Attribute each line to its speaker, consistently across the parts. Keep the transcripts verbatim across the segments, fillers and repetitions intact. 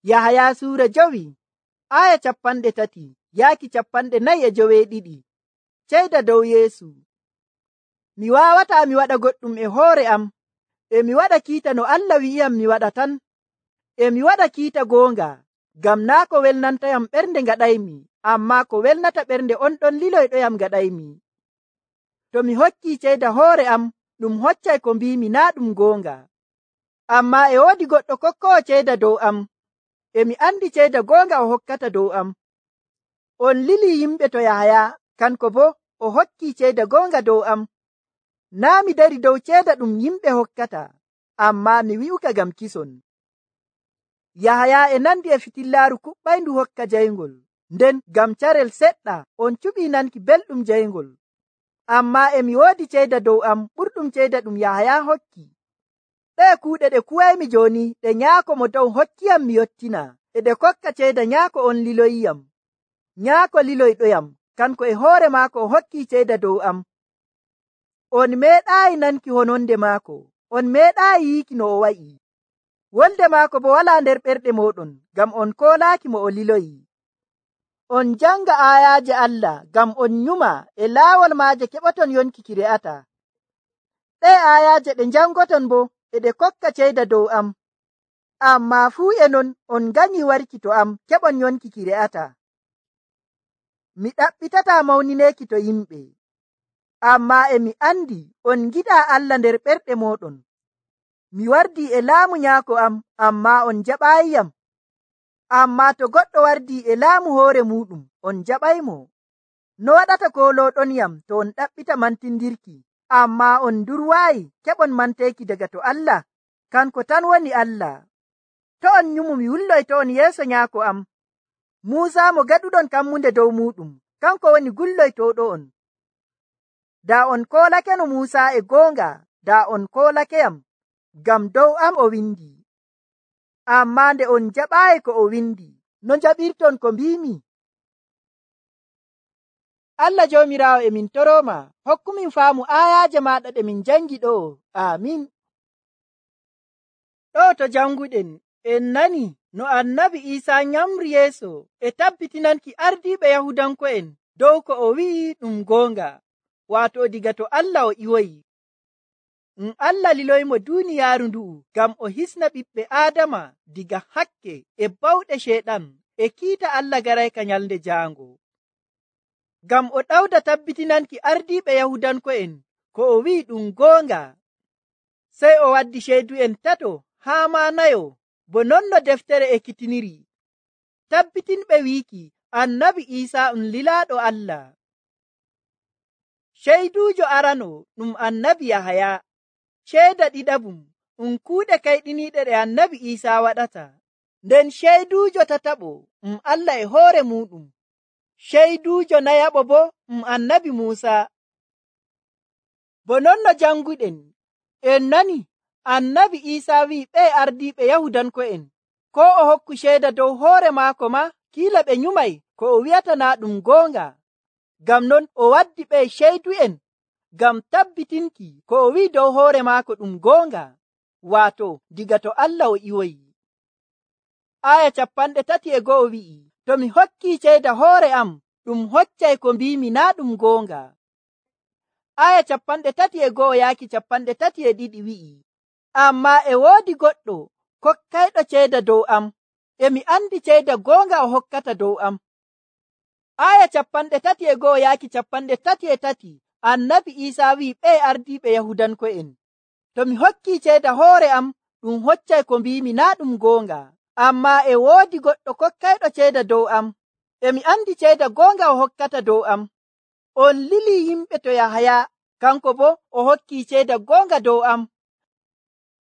Speaker 1: Yahaya suura jowi aya capanɗe tati yaaki capanɗe nayi e joweeɗiɗi. Ceyda dow Yeesu. Mi waawataa mi waɗa goɗɗum e hoore am, e mi waɗa kiita no Allah wi'iyam mi waɗa tan. E mi waɗa kiita goonga, ngam naa ko welnantayam ɓernde ngaɗaymi, ammaa ko welnata ɓernde on ɗon liloyɗoyam ngaɗaymi. To mi hokkii ceyda hoore am, ɗum hoccay ko mbiimi naa ɗum goonga. Ammaa e woodi goɗɗo kokkoowo ceyda dow am, e mi andi ceyda goonga o hokkata dow am. On lilii yimɓe to Yahaya, kanko boo o hokkii ceyda goonga dow am. Naa mi dari dow ceyda ɗum yimɓe hokkata, ammaa mi wi'uka ngam kison. Yahaya e nandi e fitillaaru kuɓɓayndu hokka jayngol, nden ngam carel seɗɗa on cuɓii nanki belɗum jayngol. Ammaa e mi woodi ceyda dow am ɓurɗum ceyda ɗum Yahaya hokki. Ɗee kuuɗe ɗe kuwaymi jooni ɗe Nyaako mo dow hokkiyam mi yottina, e ɗe kokka ceyda Nyaako on liloyiyam. Nyaako liloyɗoyam, kanko e hoore maako o hokkii ceyda dow am. On meeɗaayi nanki hononde maako, on meeɗaayi yiiki no o wa'i. Wolde maako bo walaa nder ɓerɗe mooɗon, ngam on koolaaki mo o liloyi. On janga aayaaje Allah, ngam on nyuma e laawol maaje keɓoton yonki ki re'ata. Ɗee aayaaje ɗe njangoton bo e ɗe kokka ceyda dow am. Ammaa fuu e non on nganyii warki to am keɓon yonki ki re'ata. Mi ɗaɓɓitataa mawnineeki to yimɓe, ammaa e mi andi on ngiɗaa Allah nder ɓerɗe mooɗon. Mi wardii e laamu Nyaako am, ammaa on jaɓaayiyam. Ammaa to goɗɗo wardii e laamu hoore muuɗum, on jaɓaymo. No waɗata koolooɗonyam to on ɗaɓɓita mantindirki, ammaa on ndurwaayi keɓon manteeki daga to Allah, kanko tan woni Allah. To on nyumu mi wulloyto on yeeso Nyaako am. Muusa mo gaɗuɗon kammunde dow muuɗum, kanko woni gulloytooɗo on. Daa on koolakeno Muusa e goonga, daa on koolakeyam, ngam dow am o windi. Ammaa nde on jaɓaayi ko o windi, no njaɓirton ko mbiimi? Allah Joomiraawo e min torooma, hokkumin faamu aayaaje maaɗa ɗe min jangi ɗo. Aamin. Ɗo to janguɗen en nani no annabi Iisaa nyamri yeeso e tabbitinanki ardiiɓe Yahudanko'en dow ko o wi'i ɗum goonga, waato diga to Allah o iwoyi. Um Allah liloymo duuniyaaru ndu'u ngam o hisna ɓiɓɓe Aadama diga hakke e bawɗe Ceeɗan e kiita Allah garayka nyalnde jaango. Ngam o ɗawda tabbitinanki ardiiɓe Yahudanko'en ko o wi'i ɗum goonga, sey o waddi ceydu'en tato haa maa nayo, bo non no deftere ekkitiniri, tabbitinɓe wiiki annabi Iisaa um lilaaɗo Allah. Ceyduujo arano ɗum annabi Yahaya. Ceeda ɗiɗaɓum um kuuɗe kayɗiniiɗe ɗe annabi Iisaa waɗata. Nden ceyduujo tataɓo um Allah e hoore muuɗum. Ceyduujo nayaɓo bo um annabi Muusa. Bo non no janguɗen en nani annabi Iisaa wi'i ɓe ardiiɓe Yahudanko'en ko o hokku ceeda dow hoore maako ma kiila ɓe nyumay ko o wi'ata naa ɗum goonga. Ngam non o waddi ɓe ceydu'en ngam tabbitinki ko o wi'i dow hoore maako ɗum goonga, waato diga to Allah o iwoyi. Aya capanɗe tati e go'o wi'i, to mi hokkii ceyda hoore am, ɗum hoccay ko mbiimi naa ɗum goonga. Aya capanɗe tati e go'o yaaki capanɗe tati e ɗiɗi wi'i, ammaa e woodi goɗɗo kokkayɗo ceyda dow am, e mi andi ceyda goonga o hokkata dow am. Aya capanɗe tati e go'o yaaki capanɗe tati e tati annabi Iisaa wi'i ɓe ardiiɓe Yahudanko'en, to mi hokkii ceyda hoore am, ɗum hoccay ko mbiimi naa ɗum goonga. Ammaa e woodi goɗɗo kokkayɗo ceyda dow am, e mi andi ceyda goonga o hokkata dow am. On lilii yimɓe to Yahaya, kanko bo o hokkii ceyda goonga dow am.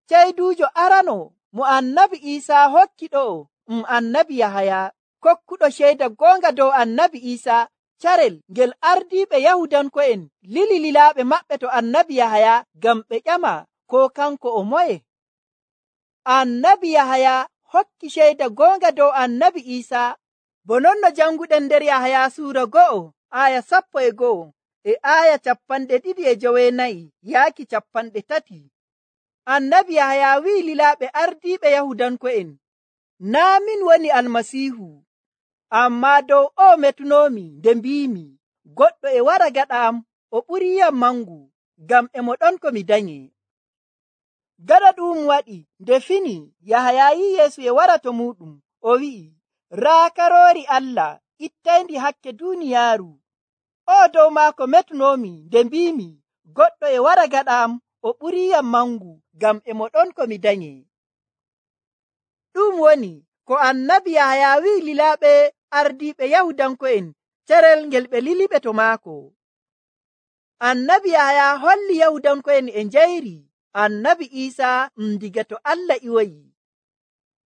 Speaker 1: Ceyduujo arano mo annabi Iisaa hokki ɗo um annabi Yahaya, kokkuɗo ceyda goonga dow annabi Iisaa, carel ngel ardiiɓe Yahudanko'en lili lilaaɓe maɓɓe to annabi Yahaya ngam ɓe ƴama ko kanko o moye. Annabi Yahaya hokki ceyda goonga dow annabi Iisaa, bo non no janguɗen nder Yahaya suura go'o aya sappo e go'o e aya capanɗe ɗiɗi e joweenayi yaaki capanɗe tati. Annabi Yahaya wi'i lilaaɓe ardiiɓe Yahudanko'en, naa min woni almasiihu, ammaa dow o metunoomi nde mbiimi, goɗɗo e wara gaɗa am, o ɓuriyam mangu, ngam e mo ɗon ko mi danye. Gaɗa ɗum waɗi nde fini, Yahaya yi Yeesu e wara to muɗum, o wi'i, raa karoori Allah ittayndi hakke duuniyaaru. O dow maako metunoomi nde mbiimi, goɗɗo e wara gaɗa am, o ɓuriyam mangu, ngam e mo ɗon ko mi danye. Ɗum woni ko annabi Yahaya wi'i lilaaɓe ardiiɓe Yahudanko'en carel ngel ɓe liliɓe to maako. Annabi Yahaya holli Yahudanko'en e njayri annabi Iisaa um diga to Allah iwoyi.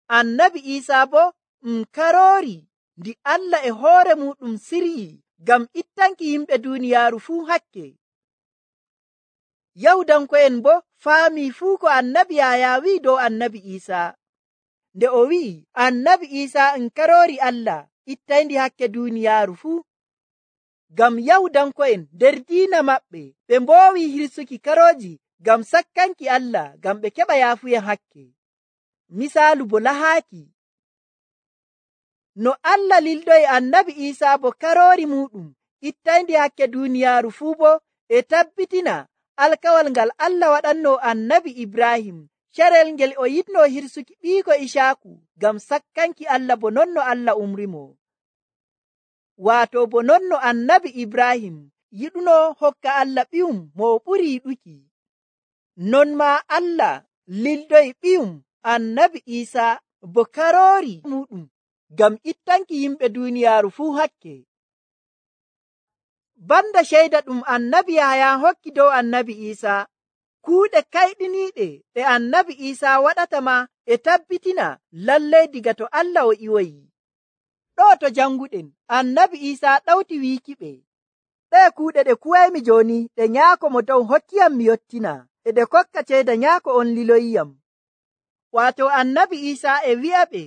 Speaker 1: Annabi Iisaa bo um karoori ndi Allah e hoore muɗum siryi ngam ittanki yimɓe duuniyaaru fuu hakke. Yahudanko'en bo faami fuu ko annabi Yahaya wi'i dow annabi Iisaa. Nde o wi'i annabi Iisaa um karoori Allah ittayndi hakke duuniyaaru fuu. Ngam Yahudanko'en nder diina maɓɓe ɓe mboowi hirsuki karooji ngam sakkanki Allah ngam ɓe keɓa yaafuyen hakke. Misaalu bo lahaaki. No Allah lildoyi annabi Iisaa bo karoori muɗum ittayndi hakke duuniyaaru fuu bo e tabbitina alkawal ngal Allah waɗanno annabi Ibrahim carel ngel o yiɗno hirsuki ɓiiko Isaaku ngam sakkanki Allah bo non no Allah umrimo. Waato bo non no annabi Ibrahim yiɗuno hokka Allah ɓiyum mo o ɓuri yiɗuki. Non maa Allah lildoyi ɓiyum annabi Iisaa bo karoori muɗum ngam ittanki yimɓe duuniyaaru fuu hakke. Banda ceyda ɗum annabi Yahaya hokki dow annabi Iisaa, kuuɗe kayɗiniiɗe ɗe annabi Iisaa waɗata ma e tabbitina lallay diga to Allah o iwoyi. Ɗo to janguɗen annabi Iisaa ɗawti wiikiɓe, ɗee kuuɗe ɗe kuwaymi jooni ɗe nyaako mo dow hokkiyam mi yottina, e ɗe kokka ceyda nyaako on liloyiyam. Waato annabi Iisaa e wi'aɓe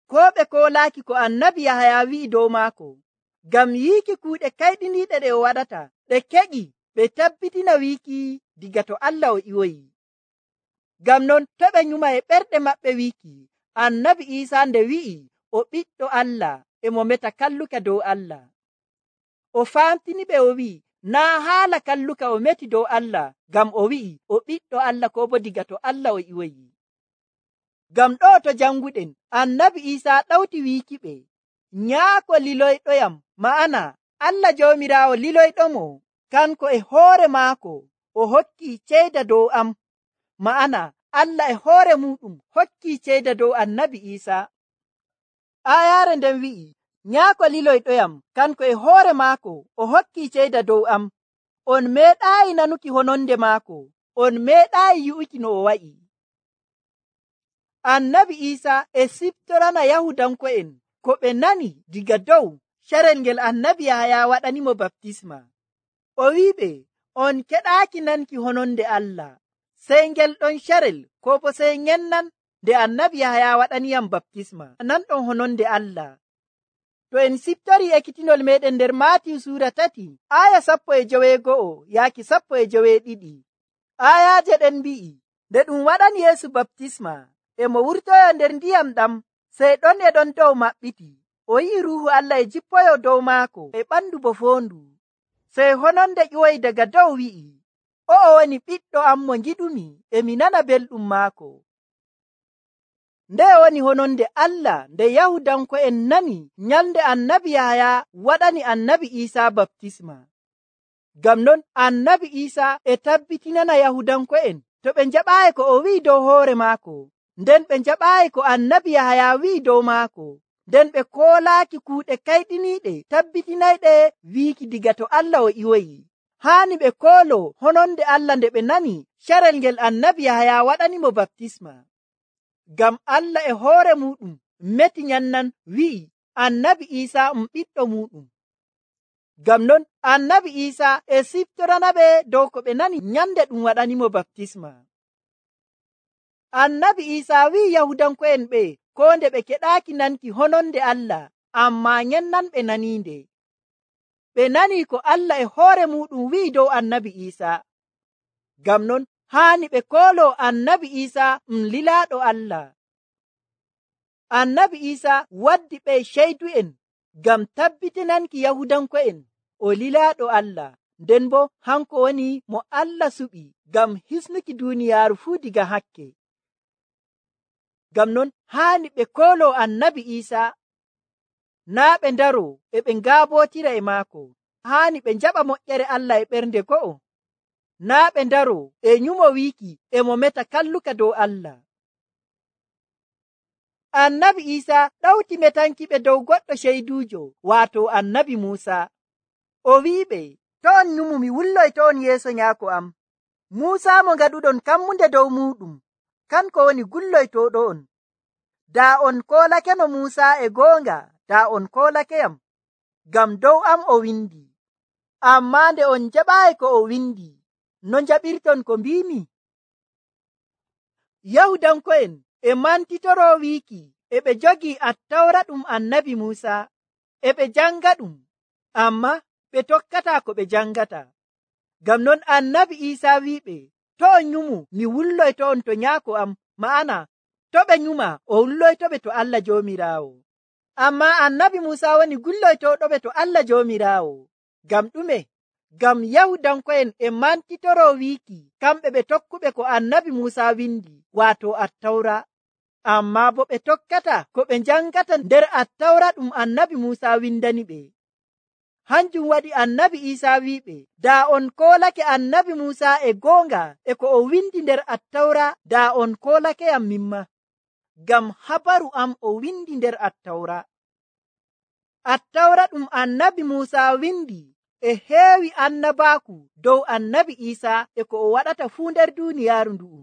Speaker 1: koo ɓe koolaaki ko annabi Yahaya wi'i dow maako, ngam yiiki kuuɗe kayɗiniiɗe ɗe o waɗata ɗe keƴi ɓe tabbitina wiiki diga to Allah o iwoyi. Ngam non to ɓe nyuma e ɓerɗe maɓɓe wiiki annabi Iisaa nde wi'i o ɓiɗɗo Allah e mo meta kalluka dow Allah. O faamtini ɓe o wi'i naa haala kalluka o meti dow Allah, ngam o wi'i o ɓiɗɗo Allah ko bo diga to Allah o iwoyi. Ngam ɗo to janguɗen annabi Iisaa ɗawti wiikiɓe, nyaako liloyɗoyam, ma'ana Allah Joomiraawo liloyɗomo, kanko e hoore maako o hokki ceyda dow am, ma'ana Allah e hoore muɗum hokki ceyda dow annabi Iisaa. Aayaare nden wi'i, nyaako liloyɗoyam kanko e hoore maako o hokki ceyda dow am. On meeɗaayi nanuki hononde maako, on meeɗaayi yi'uki no o wa'i. Annabi Iisaa e siftorana Yahudanko'en ko ɓe nani diga dow carel ngel annabi Yahaya waɗanimo baptisma. O wi'iɓe, on keɗaaki nanki hononde Allah, sey ngel ɗon carel ko bo sey ngennan nde annabi Yahaya waɗaniyam baptisma nan ɗon hononde Allah. To en siftori ekkitinol meɗen nder Maatiyu suura tati aya sappo e joweego'o yaaki sappo e joweeɗiɗi, ayaaje ɗen mbi'i, nde ɗum waɗani Yeesu baptisma e mo wurtoyo nder ndiyam ɗam, sey ɗon e ɗon dow maɓɓiti, o yi'i Ruuhu Allah e jippoyo dow maako e ɓandu bo foondu. Sey hononde ƴiwoyi daga dow wi'i, o'o woni ɓiɗɗo am mo ngiɗumi, e mi nana belɗum maako. Nde woni hononde Allah nde Yahudanko'en nani nyalnde annabi Yahaya waɗani annabi Iisaa baptisma. Ngam non annabi Iisaa e tabbitinana Yahudanko'en to ɓe njaɓaayi ko o wi'i dow hoore maako, nden ɓe njaɓaayi ko annabi Yahaya wi'i dow maako, nden ɓe koolaaki kuuɗe kayɗiniiɗe tabbitinayɗe wiiki diga to Allah o iwoyi. Haani ɓe koolo hononde Allah nde ɓe nani carel ngel annabi Yahaya waɗanimo baptisma. Ngam Allah e hoore muɗum meti nyannan wi'i annabi Iisaa um ɓiɗɗo muɗum. Ngam non annabi Iisaa e siftoranaɓe dow ko ɓe nani nyande ɗum waɗanimo baptisma. Annabi Iisaa wi'i Yahudanko'en ɓe ko nde ɓe keɗaaki nanki hononde Allah, ammaa nyennan ɓe naniinde. Ɓe nani ko Allah e hoore muɗum wi'i dow annabi Iisaa. Ngam non haani ɓe koolo annabi Iisaa um lilaaɗo Allah. Annabi Iisa waddi ɓe ceydu'en ngam tabbitinanki Yahudanko'en o lilaaɗo Allah, nden bo hanko woni mo Allah suɓi ngam hisnuki duuniyaaru fuu diga hakke. Ngam non haani ɓe kooloo Annabi Iisa, naa ɓe ndaroo e ɓe ngaabootira e maako. Haani ɓe njaɓa moƴƴere Allah e ɓernde go'o, naa ɓe ndaroo e nyumo wiiki e mo meta kalluka dow Allah. Annabi Iisa ɗawti metanki ɓe dow goɗɗo ceyduujo, waato Annabi Muusa. O wi'iɓe, to on nyumu mi wulloyto on yeeso nyaako am. Muusa mo ngaɗuɗon kammunde dow muuɗum, kanko woni gulloytooɗo on. Daa on koolakeno Muusa e goonga, daa on koolakeyam, ngam dow am o windi. Ammaa nde on jaɓaayi ko o windi, no njaɓirton ko mbiimi? Yahudanko'en e mantitoroo wiiki e ɓe jogii Attawra ɗum Annabi Muusa, e ɓe janga ɗum, amma ɓe tokkataa ko ɓe jangata. Ngam non Annabi Iisa wi'iɓe, to on nyumu mi wulloyto on to nyaako am, ma'ana to ɓe nyuma o wulloytoɓe to Allah Joomiraawo. Amma Annabi Muusa woni gulloytooɗoɓe to Allah Joomiraawo. Ngam ɗume? Ngam Yahudanko'en e mantitoroo wiiki kamɓe ɓe tokkuɓe ko Annabi Muusa windi, waato Attawra, amma bo ɓe tokkata ko ɓe jangata nder Attawra ɗum Annabi Muusa windani ɓe. Hanjum waɗi Annabi Iisa wi'iɓe, daa on koolake Annabi Muusa e goonga e ko o windi nder Attawra, daa on koolakeyam mimma, ngam habaru am o windi nder Attawra. Attawra ɗum Annabi Muusa windi e heewi annabaaku dow Annabi Iisa e ko o waɗata fuu nder duuniyaaru ndu'u.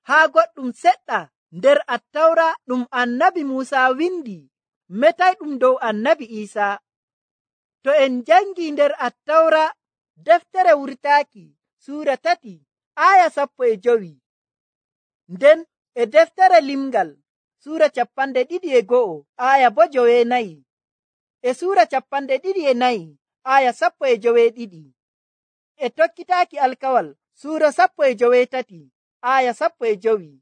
Speaker 1: Haa goɗɗum seɗɗa nder Attawra ɗum Annabi Muusa windi metay ɗum dow Annabi Iisa. To en jangi nder Attawra deftere wurtaaki suura tati aya sappo e jowi, nden e deftere limgal suura capanɗe ɗiɗi e go'o aya bo jowenayi, e suura capanɗe ɗiɗi e nayi aya sappo e joweeɗiɗi, e tokkitaaki alkawal suura sappo e joweetati aya sappo e jowi.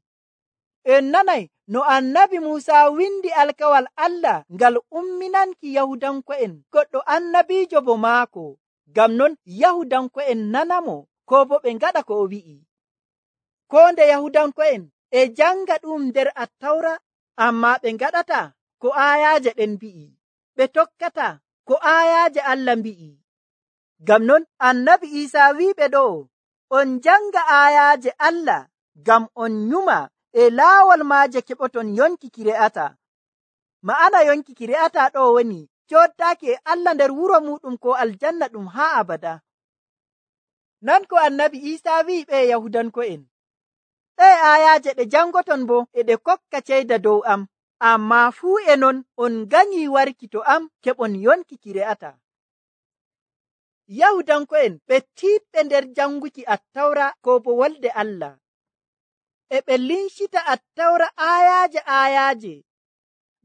Speaker 1: En nanay no Annabi Muusa windi alkawal Allah ngal umminanki Yahudanko'en goɗɗo annabiijo bo maako. Ngam non Yahudanko'en nanamo ko bo ɓe ngaɗa ko o wi'i. Ko nde Yahudanko'en e janga ɗum nder Attawra, amma ɓe ngaɗata ko ayaaje ɗen mbi'i, ɓe tokkata ko ayaaje Allah mbi'i. Ngam non Annabi Iisa wi'iɓe ɗo, on janga ayaaje Allah ngam on nyuma e laawol maaje keɓoton yonki ki re'ata. Ma'ana yonki ki re'ata ɗo woni coodaaki e Allah nder wuro muɗum ko aljanna ɗum haa abada. Non ko Annabi Iisa wi'i ɓe Yahudanko'en, ɗe ayaaje ɗe jangoton bo e ɗe kokka ceyda dow am, amma fuu e non on ganyi warki to am keɓon yonki ki re'ata. Yahudanko'en ɓe tiiɗɓe nder janguki Attawra ko bo wolde Allah, e ɓe lincita Attawra ayaaje ayaaje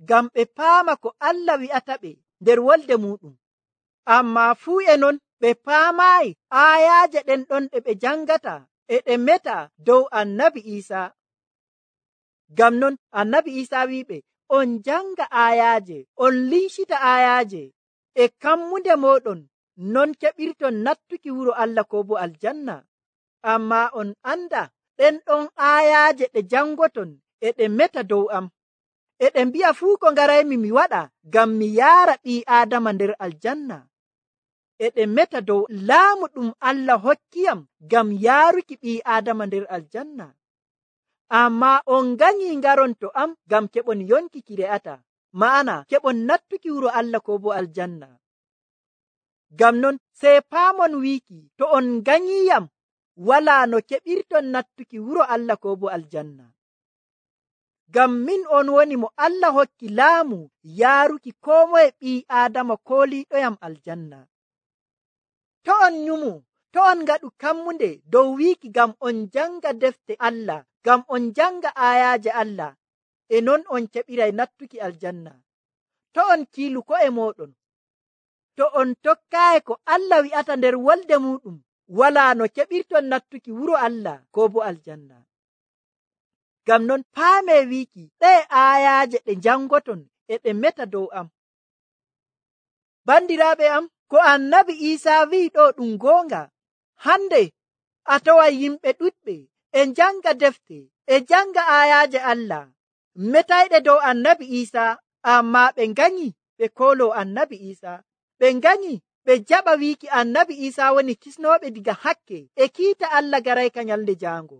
Speaker 1: ngam ɓe paama ko Allah wi'ata ɓe nder wolde muɗum, amma fuu e non ɓe paamaayi ayaaje ɗen ɗon ɗe ɓe jangata e ɗe meta dow Annabi Iisa. Ngam non Annabi Iisa wi'iɓe, on janga ayaaje, on lincita ayaaje, e kammunde moɗon non keɓirton nattuki wuro Allah ko bo aljanna. Amma on anda ɗen ɗon ayaaje ɗe jangoton e ɗe meta dow am, e ɗe mbi'a fuu ko ngaraymi mi waɗa ngam mi yaara ɓii Aadama nder aljanna, e ɗe meta dow laamu ɗum Allah hokkiyam ngam yaaruki ɓii Aadama nder aljanna. Amma on ganyi ngaron to am ngam keɓon yonki ki re'ata, ma'ana keɓon nattuki wuro Allah ko bo aljanna. Ngam non sey paamon wiiki to on ganyiyam wala no keɓirton nattuki wuro Allah ko bo aljanna. Ngam min on woni mo Allah hokki laamu yaaruki koo moye ɓii Aadama kooliiɗoyam aljanna. To on nyumu, to on ngaɗu kammunde dow wiiki ngam on janga defte Allah, ngam on janga ayaaje Allah, e non on keɓiray nattuki aljanna. To on kiilu ko'e moɗon, to on tokkaayi ko Allah wi'ata nder wolde muɗum, wala no keɓirton nattuki wuro Allah ko bo aljanna. Ngam non paame wiiki ɗe aayaaje ɗe jangoton e ɗe meta dow am. Bandiraaɓe am, ko annabi Iisaa wi'i ɗo ɗum goonga. Hande a taway yimɓe ɗuɗɓe e janga defte e janga aayaaje Allah metayɗe dow annabi Iisaa, amma ɓe nganyi ɓe koolo annabi Iisaa. Ɓe nganyi ɓe jaɓa wiiki annabi Iisaa woni kisnooɓe diga hakke e kiita Allah garayka nyalde jaango.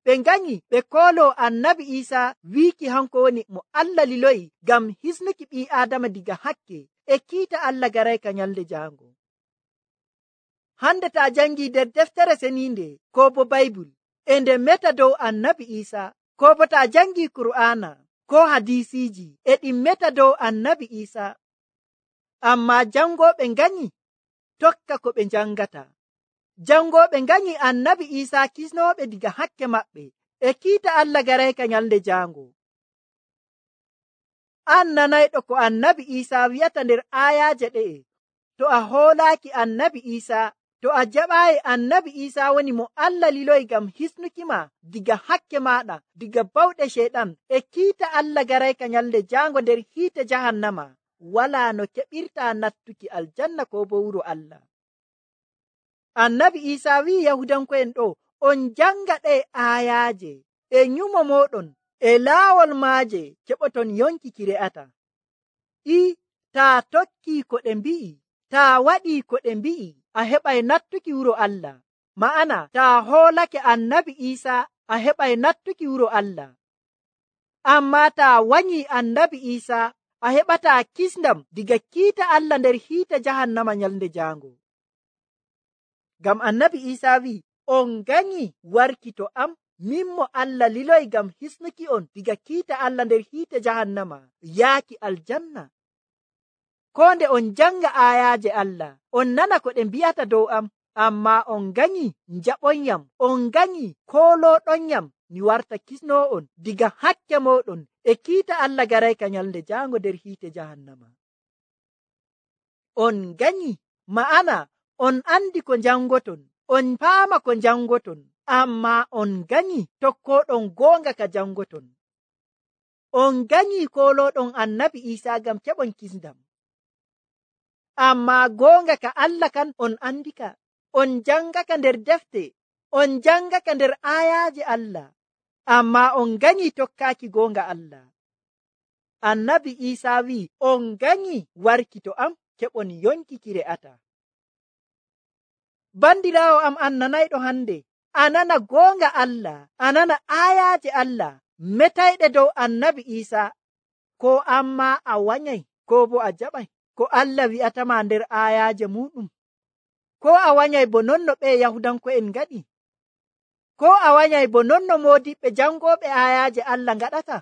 Speaker 1: Ɓe nganyi ɓe koolo annabi Iisaa wiiki hanko woni mo Allah liloyi ngam hisnuki ɓii Aadama diga hakke e kiita Allah garayka nyalde jaango. Hande ta jangi nder deftere seninde ko bo Baybul e nde meta dow annabi Iisaa, ko bo ta jangi Kur'aana ko hadisiji e ɗi meta dow annabi Iisaa. Amma jangoɓe nganyi tokka ko ɓe jangata. Jangoɓe nganyi annabi Iisaa kisnoɓe diga hakke maɓɓe e kiita Allah garayka nyalde jaango. An nanayɗo ko annabi Iisaa wi'ata nder aayaaje ɗe'e. To a hoolaaki annabi Iisaa, to a jaɓaayi annabi Iisaa woni mo Allah liloyi ngam hisnuki ma diga hakke maɗa, diga bawɗe sheɗan e kiita Allah garayka nyalde jaango nder hiite jahannama, wala no keɓirta nattuki aljanna ko bo wuro Allah. Annabi Iisaa wi'i Yahudanko'en ɗo, on janga ɗe aayaaje e nyumo moɗon e laawol maaje keɓoton yonki ki re'ata. I taa tokki ko ɗe mbi'i, taa waɗi ko ɗe mbi'i, a heɓay nattuki wuro Allah. Ma'ana taa hoolake annabi Iisaa a heɓay nattuki wuro Allah. Amma taa wanyi annabi Iisaa a heɓataa kisndam diga kiita Allah nder hiite jahannama nyalde jaango. Ngam annabi Iisaa wi'i, on nganyi warki to am, min mo Allah liloyi ngam hisnuki on diga kiita Allah nder hiite jahannama yaaki aljanna. Ko nde on janga aayaaje Allah, on nana ko ɗe mbi'ata dow am, amma on nganyi njaɓonyam, on nganyi kooloɗonyam mi warta kisnoo'on diga hakke moɗon e kiita Allah garayka nyalde jaango nder hiite jahannama. On nganyi, ma'ana on andi ko jangoton, on paama ko jangoton, amma on nganyi tokkoɗon goonga ka jangoton. On nganyi kooloɗon annabi Iisaa ngam keɓon kisndam. Amma goonga ka Allah kan on andika, on jangaka nder defte, on jangaka nder aayaaje Allah, amma on nganyi tokkaaki goonga Allah. Annabi Iisaa wi'i, on nganyi warki to am, keɓon yonki ki re'ata. Bandiraawo am an nanayɗo hande, a nana goonga Allah, a nana aayaaje Allah metayɗe dow annabi Iisaa, ko amma a wanyay ko bo a jaɓay ko Allah wi'atama nder aayaaje muɗum, ko a wanyay bo nonno ɓe Yahudanko'en ngaɗi, ko a wanyay bo nonno moodiɓɓe jangoɓe aayaaje Allah ngaɗata,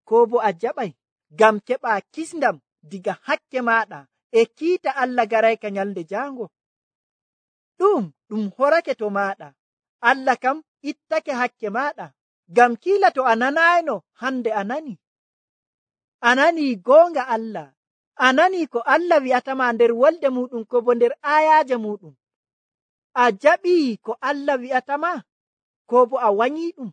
Speaker 1: ko bo a jaɓay ngam keɓa kisndam diga hakke maɗa e kiita Allah garayka nyalde jaango. Ɗum ɗum horake to maɗa, Allah kam ittake hakke maɗa, ngam kiila to a nanayno hande a nani. A nani goonga Allah, a nani ko Allah wi'atama nder wolde muɗum ko bo nder aayaaje muɗum. A jaɓi ko Allah wi'atama ko bo a wanyi ɗum.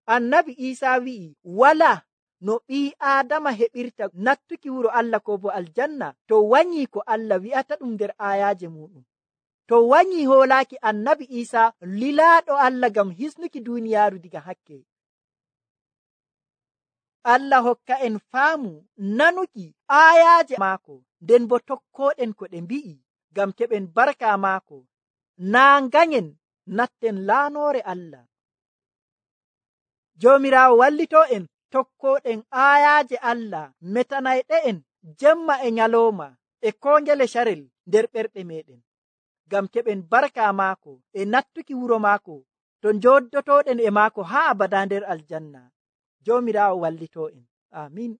Speaker 1: Annabi Iisaa wi'i, wala no ɓii Aadama heɓirta nattuki wuro Allah ko bo aljanna to wanyi ko Allah wi'ata ɗum nder aayaaje muɗum. To wanyi hoolaaki annabi Iisaa lilaaɗo Allah ngam hisnuki duuniyaaru diga hakke. Allah hokka en faamu nanuki aayaaje maako, nden bo tokkoɗen ko ɗe mbi'i ngam keɓen barka maako, naa nganyen natten laanoore Allah. Joomiraawo wallito en tokkoɗen aayaaje Allah metanayɗe en jemma e nyalooma e kongele sharel nder ɓerɗe meɗen, ngam keɓen barka maako e nattuki wuro maako to njoddotoɗen e maako haa abada nder aljanna. Joomiraawo wallito en. Amin.